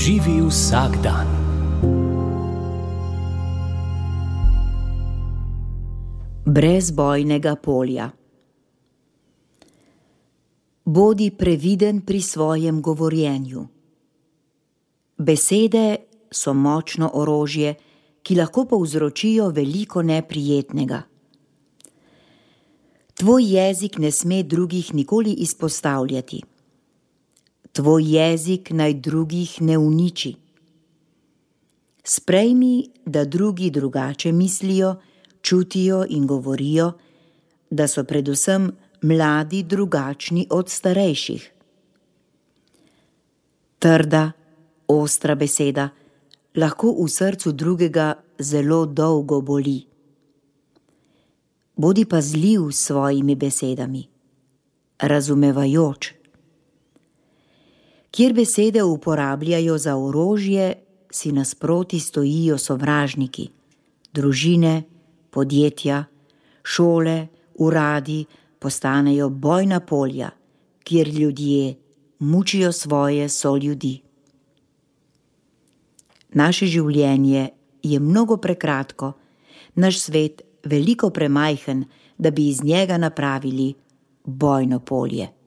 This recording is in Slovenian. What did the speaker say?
Živi vsak dan. Brez bojnega polja. Bodi previden pri svojem govorjenju. Besede so močno orožje, ki lahko povzročijo veliko neprijetnega. Tvoj jezik ne sme drugih nikoli izpostavljati. Tvoj jezik naj drugih ne uniči. Sprejmi, da drugi drugače mislijo, čutijo in govorijo, da so predvsem mladi drugačni od starejših. Trda, ostra beseda lahko v srcu drugega zelo dolgo boli. Bodi pazljiv s svojimi besedami, razumevajoč. Kjer besede uporabljajo za orožje, si nasproti stojijo sovražniki, družine, podjetja, šole, uradi postanejo bojna polja, kjer ljudje mučijo svoje soljudi. Naše življenje je mnogo prekratko, naš svet veliko premajhen, da bi iz njega napravili bojno polje.